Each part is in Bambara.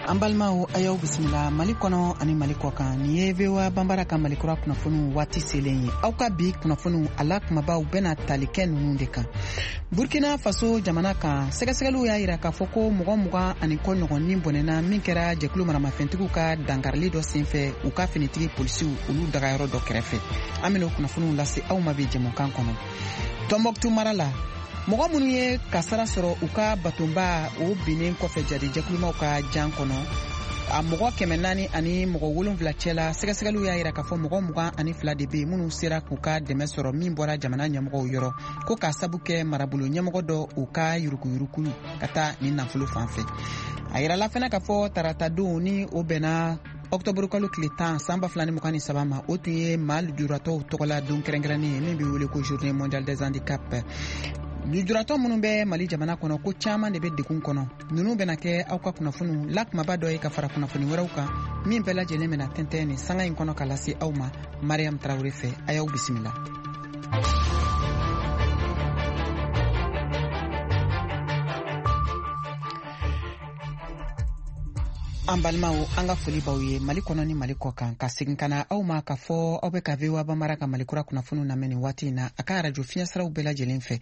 An balimaw, a y'aw bisimila Mali kɔnɔ ani Mali kɔ kan. Nin ye VOA Banbara ka Malikura kunnafoniw waati selen ye. Aw ka bi kunnafoniw, a la kumabaw bɛna tali kɛ ninnu de kan: Burkina Faso jamana kan, sɛgɛsɛgɛliw y'a yira k'a fɔ ko mɔgɔ 20 ni kɔ ɲɔgɔn ni bɔnɛna min kɛra jɛkulu maramafɛntigiw ka dankarili dɔ senfɛ u ka finitigi polisiw olu dagayɔrɔ dɔ kɛrɛfɛ. An bɛna o kunnafoniw lase aw ma bi jɛmukan kɔnɔ. Tɔnbɔkutu mara la, mɔgɔ minnu ye kasara sɔrɔ u ka batonba o binnen kɔfɛ jadi jɛkulumaw ka jan kɔnɔ, a mɔgɔ 470 cɛla, sɛgɛsɛgɛliw y'a yira k'a fɔ mɔgɔ 22 de be minnu sera k'u ka dɛmɛ sɔrɔ min bɔra jamana ɲɛmɔgɔw yɔrɔ, ko k'a sabu kɛ marabolo ɲɛmɔgɔ dɔ u ka yuruguyurugu ka taa nin nafolo fan fɛ. A yirala fɛnɛ k'a fɔ taratadon ni o bɛnna ɔktɔburu kalo tile 10 san 2023 ma, o tun ye maa lujuratɔw tɔgɔla don kɛrɛnkɛrɛnnen ye min bɛ wele ko Journée mondiale des handicaps. Lujuratɔ minnu bɛ Mali jamana kɔnɔ, ko caman de bɛ degun kɔnɔ. Ninnu bɛna kɛ aw ka kunnafoniw la kumaba dɔ ye ka fara kunnafoni wɛrɛw kan min bɛɛ lajɛlen bɛna tɛntɛn nin sanga in kɔnɔ ka lase aw ma Mariam Tarawele fɛ. A y'aw bisimila. An balimaw, an ka foli b'aw ye Mali kɔnɔ ni Mali kɔ kan. Ka segin ka na aw ma k'a fɔ aw bɛ ka VOA Banbara ka Malikura kunnafoniw lamɛn nin waati in na a ka arajo fiɲɛsiraw bɛɛ lajɛlen fɛ.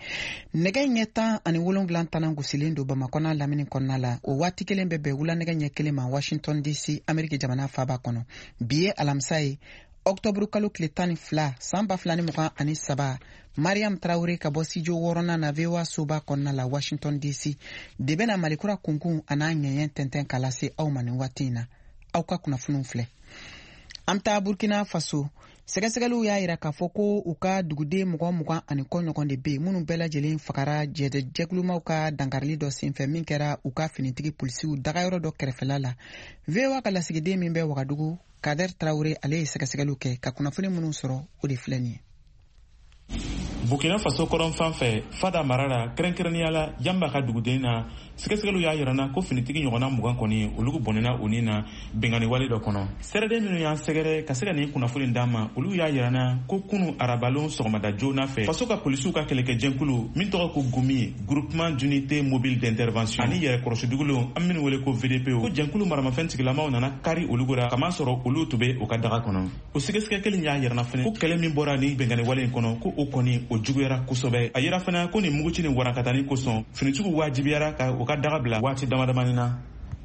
Nɛgɛ ɲɛ 17 tanan gosilen don Bamakɔ n'a lamini kɔnɔna la. O waati kelen bɛ bɛn wula nɛgɛ ɲɛ 1 ma Washington DC, Ameriki jamana faba kɔnɔ. Bi ye alamisa ye, ɔktɔburu kalo tile 12 san 2023. Mariam Tarawure ka bɔ studio wɔɔrɔnan na VOA soba kɔnɔna la Washington DC de bɛna Malikura kunkun a n'a ŋɛɲɛ tɛntɛn ka lase aw ma nin waati in na. Aw ka kunnafoniw filɛ. An bɛ taa Burkina Faso. Sɛgɛsɛgɛliw y'a yira k'a fɔ ko u ka duguden mɔgɔ 20 ni kɔ ɲɔgɔn de bɛ yen minnu bɛɛ lajɛlen fagara jɛkulumaw ka dankarili dɔ senfɛ min kɛra u ka finitigi polisiw dagayɔrɔ dɔ kɛrɛfɛla la. VOA ka lasigiden min bɛ Wagadugu, Kader Tarawure, ale ye sɛgɛsɛgɛliw kɛ ka kunnafoni minnu sɔrɔ, o de filɛ nin ye. Burkina Faso kɔrɔn fan fɛ, Fada mara la, kɛrɛnkɛrɛnnenya la Yanba ka duguden na, sɛgɛsɛgɛliw y'a yirana ko finitigi ɲɔgɔnna 20 kɔni, olu bɔnɛna u ni na bingani wale dɔ kɔnɔ. Sɛrɛden minnu y'an sɛgɛrɛ ka se ka nin kunnafoni d'an ma, olu y'a yirana ko kunu arabalon sɔgɔmada joona fɛ, faso ka polisiw ka kɛlɛkɛjɛnkulu min tɔgɔ ko GUMI, Groupement d'unité mobile d'intervention, ani yɛrɛkɔrɔsidugulenw an minnu wele ko VDP, ko jɛnkulu maramafɛn tigilamaw nana kari olu ra, kamasɔrɔ olu tun bɛ u ka daga kɔnɔ. O sɛgɛsɛgɛ kelen y'a yirana fɛnɛ ko kɛlɛ min bɔra ni bɛnkanni wale in kɔnɔ, ko o kɔni o juguyara kosɛbɛ. A yira fɛnɛ ko nin muguci ni warankatani kosɔn, finitigiw wajibiyara ka u ka daga bila waati dama damani na.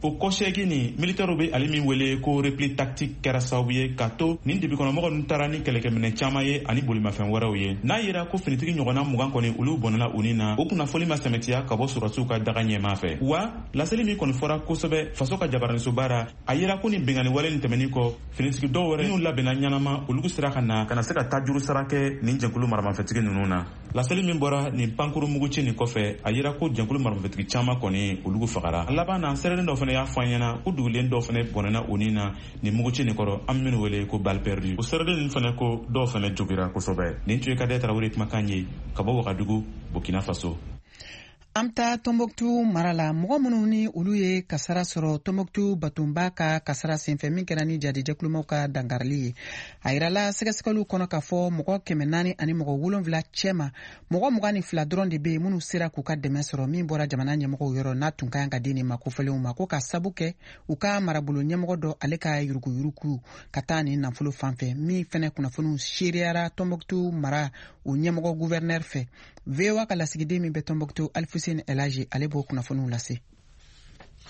O kɔsɛgi ni militɛriw bɛ ale min wele ko repli tactique kɛra sababu ye ka to nin dibikɔnɔmɔgɔ ninnu taara ni kɛlɛkɛminɛ caman ye ani bolimafɛn wɛrɛw ye. N'a yera ko finitigi ɲɔgɔnna 20 kɔni, olu bɔnɛna u ni na, o kunnafoni ma sɛmɛtiya ka bɔ sɔrɔdasiw ka daga ɲɛmaa fɛ. Wa laseli min kɔni fɔra kosɛbɛ faso ka jabaranisoba ra, a yera ko nin bingani wale nin tɛmɛnin kɔ, finitigi dɔw wɛrɛ minnu labɛnna ɲɛnama, olu sera ka na ka na se ka tajuru sara kɛ nin jɛnkulu maramafɛntigi ninnu na. Laseli min bɔra nin pankuru muguci nin kɔfɛ, a yira ko jɛnkulu maramafɛntigi caman kɔni, olu fagara. A laban na, sɛrɛden dɔ fana y'a fɔ an ɲɛna ko dugulen dɔw fana bɔnɛna u ni na nin muguci nin kɔrɔ, an minnu wele ko balle perdue. O sɛrɛden ninnu fana ko dɔw fana jogira kosɛbɛ. Nin tun ye Kadɛ Tarawele kumakan ye ka bɔ Wagadugu, Burkina Faso. An bɛ taa Tɔnbɔkutu mara la. Mɔgɔ minnu ni olu ye kasara sɔrɔ Tɔnbɔkutu batonba ka kasara senfɛ min kɛra ni jadijɛkulumaw ka dankarili ye, a yirala sɛgɛsɛgɛliw kɔnɔ k'a fɔ mɔgɔ 407 cɛma, mɔgɔ 22 dɔrɔn de bɛ yen minnu sera k'u ka dɛmɛ sɔrɔ min bɔra jamana ɲɛmɔgɔw yɔrɔ, n'a tun ka kan ka di nin ma kofɔlenw ma, ko ka sabu kɛ u ka marabolo ɲɛmɔgɔ dɔ ale ka yuruguyurugu ka taa nin nafolo fan fɛ, min fɛnɛ kunnafoniw seereyara Tɔnbɔkutu mara o ɲɛmɔgɔ gouverneur fɛ. VOA ka lasigiden min bɛ Tɔnbɔkutu, Alifuseni Elaji, ale b'o kunnafoniw lase.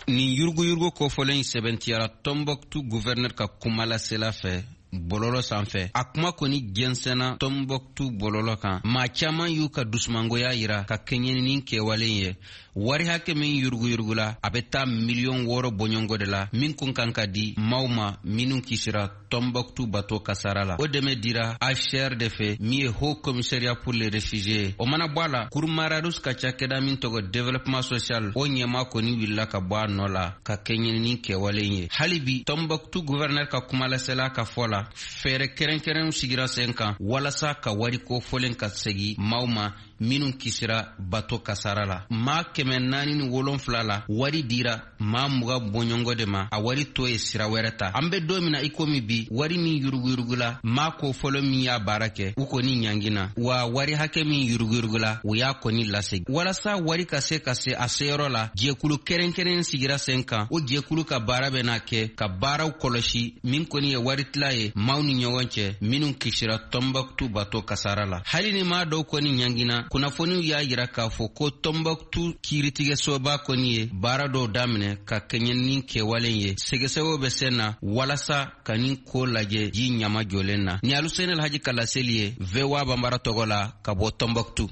Nin yuruguyurugu kofɔlen in sɛbɛntiyara Tɔnbɔkutu gouverneur ka kumalasela fɛ bɔlɔlɔ sanfɛ. A kuma kɔni jɛnsɛnna Tɔnbɔkutu bɔlɔlɔ kan. Maa caaman y'u ka dusumangoya yira ka kɛɲɛ ni kɛwalen ye. Wari hakɛ min yuruguyurugula, a bɛ taa miliyɔn 6 bɔɲɔgɔnko de la, min kun kan ka di maaw ma minnu kisira Tɔnbɔkutu bato kasara la. O dɛmɛ dira HCR de fɛ, min ye Haut Commissariat pour les réfugiés. O mana bɔ a la, Kurmararus ka cakɛda min tɔgɔ développement social, o ɲɛma kɔni wulila ka bɔ a nɔ la ka kɛɲɛ ni kɛwalen ye. Hali bi, Tɔnbɔkutu gouverneur ka kumalasela ka fɔ la, fɛɛrɛ kɛrɛnkɛrɛnw sigira sen kan walasa ka wari kofɔlen ka segi maaw ma. minnu kisira bato kasara la. Maa 407 la, wari dira maa 20 bɔɲɔgɔn de ma, a wari to ye sira wɛrɛ ta. An bɛ don min na i komi bi, wari min yuruguyurugula, maa ko fɔlɔ min y'a baara kɛ, u kɔni ɲangina, wa wari hakɛ min yuruguyurugula, u y'a kɔni lasegin. Walasa wari ka se ka se a seyɔrɔ la, jɛkulu kɛrɛnkɛrɛn sigira sen kan. O jɛkulu ka baara bɛna kɛ ka baaraw kɔlɔsi min kɔni ye wari tila ye maaw ni ɲɔgɔn cɛ minnu kisira Tɔnbɔkutu bato kasara la. Hali ni maa dɔw kɔni ɲangina, kunnafoniw y'a yira k'a fɔ ko Tɔnbɔkutu kiiritigɛsoba kɔni ye baara dɔw daminɛ ka kɛɲɛ ni kɛwalen ye. Sɛgɛsɛgɛw bɛ sen na walasa ka nin ko lajɛ ji ɲama jɔlen na. Ni Aluseni Alhaji ka laseli ye VOA Banbara tɔgɔ la ka bɔ Tɔnbɔkutu.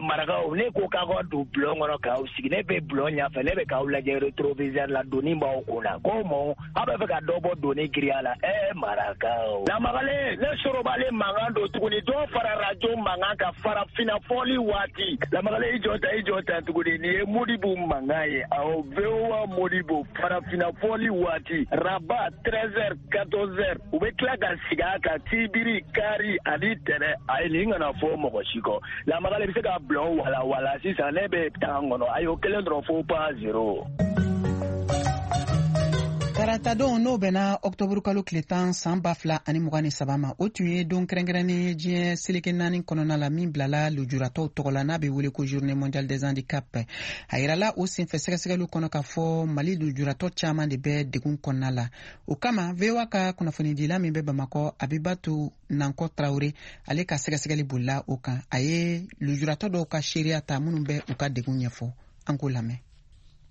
Marakaw, ne ko k'aw ka don bulon kɔnɔ k'aw sigi, ne bɛ bulon ɲɛfɛ, ne bɛ k'aw lajɛ rétroviseur la, doni b'aw kun na. Ko mɔ, aw bɛ fɛ ka dɔ bɔ doni giriya la. Marakaw. Lamagalen, ne sorobalen mankan don tuguni, dɔ fara radio mankan kan farafinna fɔli waati. Lamagalen, i jɔ ta tuguni, nin ye Modibo mankan ye. Awɔ, VOA Modibo farafinna fɔli waati. Rabat 13h 14h, u bɛ tila ka sigi a kan sibiri, kari ani tɛnɛ. Ayi, nin kana fɔ mɔgɔ si kɔ. Lamagalen bɛ se ka bulon wala wala sisan, ne bɛ tan kɔnɔ. Ayi, o kelen dɔrɔn fo pas zéro. Taratadon, n'o bɛnna ɔktɔburu kalo tile 10 san 2023 ma, o tun ye don kɛrɛnkɛrɛnnen ye diɲɛ seleke 4 kɔnɔna la min bilala lujuratɔw tɔgɔ la, n'a bɛ wele ko Journée mondiale des handicaps. A yirala o senfɛ sɛgɛsɛgɛliw kɔnɔ k'a fɔ Mali lujuratɔ caman de bɛ degun kɔnɔna la. O kama, VOA ka kunnafonidila min bɛ Bamakɔ, Abibatu Nankɔ Tarawele, ale ka sɛgɛsɛgɛli bolila o kan. A ye lujuratɔ dɔw ka seereya ta minnu bɛ u ka degun ɲɛfɔ. An k'o lamɛn.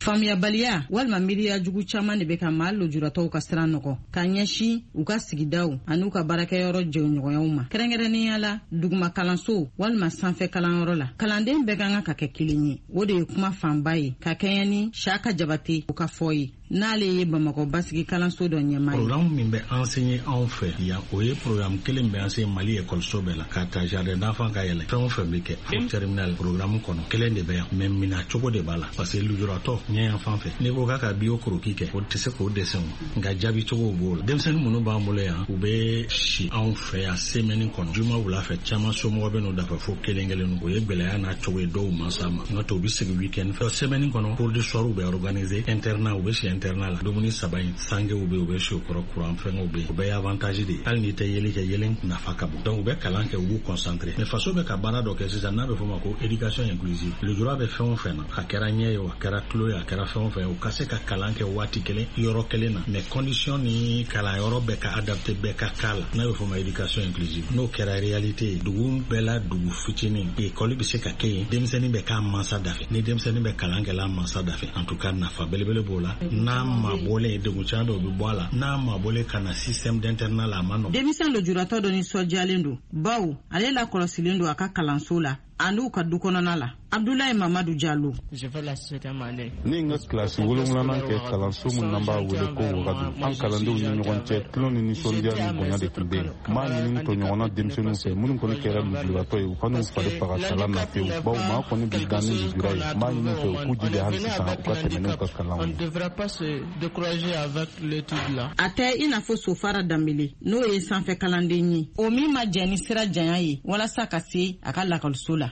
Faamuyabaliya walima miiriya jugu caman de bɛ ka maa lujuratɔw ka sira nɔgɔ ka ɲɛsin u ka sigidaw ani u ka baarakɛyɔrɔ jɛɲɔgɔnyaw ma, kɛrɛnkɛrɛnnenya la duguma kalanso walima sanfɛ kalanyɔrɔ la. Kalanden bɛɛ ka kan ka kɛ kelen ye, o de ye kuma fanba ye ka kɛɲɛ ni Saka Jabate o ka fɔ ye, n'ale ye Bamakɔ basigi kalanso dɔ ɲɛmaa ye. Programme min bɛ enseigner anw fɛ yan, o ye programme kelen bɛ enseigner Mali ekɔliso bɛɛ la, ka ta jardin d'enfant ka yɛlɛ, fɛn o fɛn bɛ kɛ fo terminal, programme kɔnɔ kelen de bɛ yan, mais mina cogo de b'a la, parce que lujuratɔ ɲɛ yan fan fɛ, n'i ko k'a ka bio croquis kɛ, o tɛ se k'o dessin, nka jaabi cogo b'o la. Denmisɛnnin minnu b'an bolo yan, u bɛ si anw fɛ yan semaine kɔnɔ, juma wula fɛ caman somɔgɔ bɛ n'u dafa fo kelen kelen. O ye gɛlɛya n'a cogo ye dɔw mansa ma, n'o tɛ u bɛ segin week-end fɛ. Semaine kɔnɔ, cours du soir bɛ organiser, internat, u bɛ si internat la, dumuni 3 in sangew bɛ, u bɛ si o kɔrɔ, courant fɛngɛw bɛ yen, o bɛɛ ye avantage de ye. Hali n'i tɛ yeli kɛ, yelen nafa ka bon, donc u bɛ kalan kɛ, u b'u concentrer. Mais faso bɛ ka baara dɔ kɛ sisan n'a bɛ fɔ o ma ko éducation inclusive. Lujura bɛ fɛn o fɛn na, a kɛra ɲɛ ye o, a kɛra tulo ye, a kɛra fɛn o fɛn, u ka se ka kalan kɛ waati kelen yɔrɔ kelen na, mais condition ni kalanyɔrɔ bɛɛ ka adapté bɛɛ ka cas la, n'a bɛ fɔ o ma éducation inclusive. N'o kɛra réalité ye, dugu bɛɛ la, dugu fitinin, école bɛ se ka kɛ yen, denmisɛnnin bɛ k'a mansa da fɛ, ni denmisɛnnin bɛ kalan kɛ la mansa da fɛ, en tout cas nafa belebele b'o la. N'a mabɔlen, degun caman bɛ, o bɛ bɔ a la. N'a mabɔlen ka na système d'internat la, a ma nɔgɔn. Denmisɛn lujuratɔ dɔ nisɔndiyalen don, bawo ale lakɔlɔsilen don a ka kalanso la an'u ka du kɔnɔna la. Abdoulaye Mamadou Diallo. Ne ye n ka kilasi 7nan kɛ kalanso min n'an b'a wele ko Wagadu. An kalandenw ni ɲɔgɔn cɛ, tulon ni nisɔndiya ni bonya de tun bɛ yen. N b'a ɲini tɔɲɔgɔnna denmisɛnninw fɛ minnu kɔni kɛra lujuratɔ ye, u kan'u fari faga kalan na pewu, bawo maa kɔni bɛ dan ni lujura ye. N b'a ɲini fɛ u k'u jija hali sisan u ka tɛmɛ n'u ka kalanw ye. A tɛ i n'a fɔ Sofara Danbele, n'o ye sanfɛ kalanden ye, o min ma jɛn ni sira janya ye walasa ka se a ka lakɔliso la.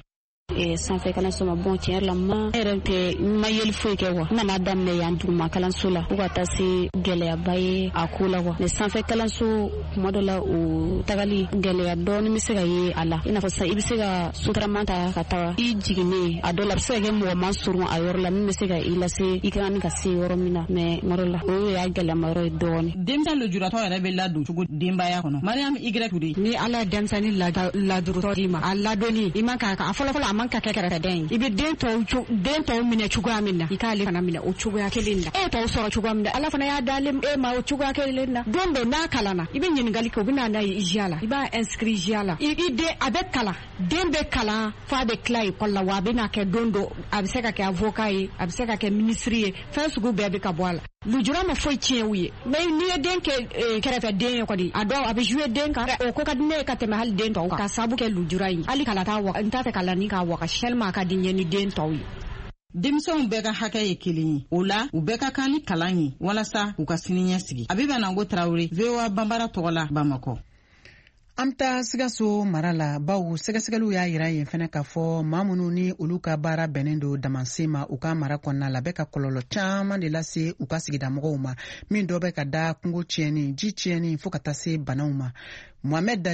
Sanfɛ kalanso ma bon, tiɲɛ yɛrɛ la, ma yɛrɛ tɛ n ma yeli foyi kɛ quoi. N nana daminɛ yan duguma kalanso la fo ka taa se gɛlɛyaba ye a ko la quoi. Mais sanfɛ kalanso, kuma dɔ la, o tagali gɛlɛya dɔɔni bɛ se ka ye a la, i n'a fɔ sisan i bɛ se ka sotarama ta ka taga i jiginnen, a dɔ la a bɛ se ka kɛ mɔgɔ ma surun a yɔrɔ la min bɛ se ka i lase i kan ka se yɔrɔ min na, mais kuma dɔ la o y'a gɛlɛyama yɔrɔ ye dɔɔni. Denmisɛn lujuratɔ yɛrɛ bɛ ladon cogo denbaya kɔnɔ? Mariam Y Toure. Ni Ala ye denmisɛnnin ladurutɔ d'i ma, a ladonni i man ka a fɔlɔ fɔlɔ, a man ka kɛ kɛrɛfɛdɛn ye. I bɛ den tɔw minɛ cogoya min na, i k'ale fana minɛ o cogoya kelen na. E tɔw sɔrɔ cogoya min na, Ala fana y'a d'ale e ma o cogoya kelen na. Don dɔ n'a kalanna, i bɛ ɲininkali kɛ, o bɛ na n'a ye IJA la, i b'a inscrit IJA la. I den a bɛ kalan, den bɛ kalan f'a bɛ tila école la, wa a bɛ na kɛ don dɔ, a bɛ se ka kɛ avocat ye, a bɛ se ka kɛ ministre ye, fɛn sugu bɛɛ bɛ ka bɔ a la. Lujura ma foyi tiɲɛ u ye, mais n'i ye den kɛ kɛrɛfɛden ye kɔni, a dɔw a bɛ jouer den kan, o ko ka di ne ye ka tɛmɛ hali den tɔw kan, ka sababu kɛ lujura in. Hali kalan t'a wa, n t'a fɛ kalanni k'a wagasi tellement a ka di n ye ni den tɔw ye. Denmisɛnw bɛɛ ka hakɛ ye kelen ye, o la u bɛɛ ka kan ni kalan ye walasa u ka sini ɲɛsigi. Abiba Nango Tarawele, VOA Banbara tɔgɔ la, Bamakɔ. An bɛ taa Sikaso mara la, bawo sɛgɛsɛgɛliw y'a yira yen fɛnɛ k'a fɔ maa minnu ni olu ka baara bɛnnen don damansen ma u ka mara kɔnɔna la, bɛ ka kɔlɔlɔ caman de lase u ka sigidamɔgɔw ma, min dɔ bɛ ka da kungo tiɲɛni, ji tiɲɛni, fɔɔ ka taa se banaw ma. Mohamɛd.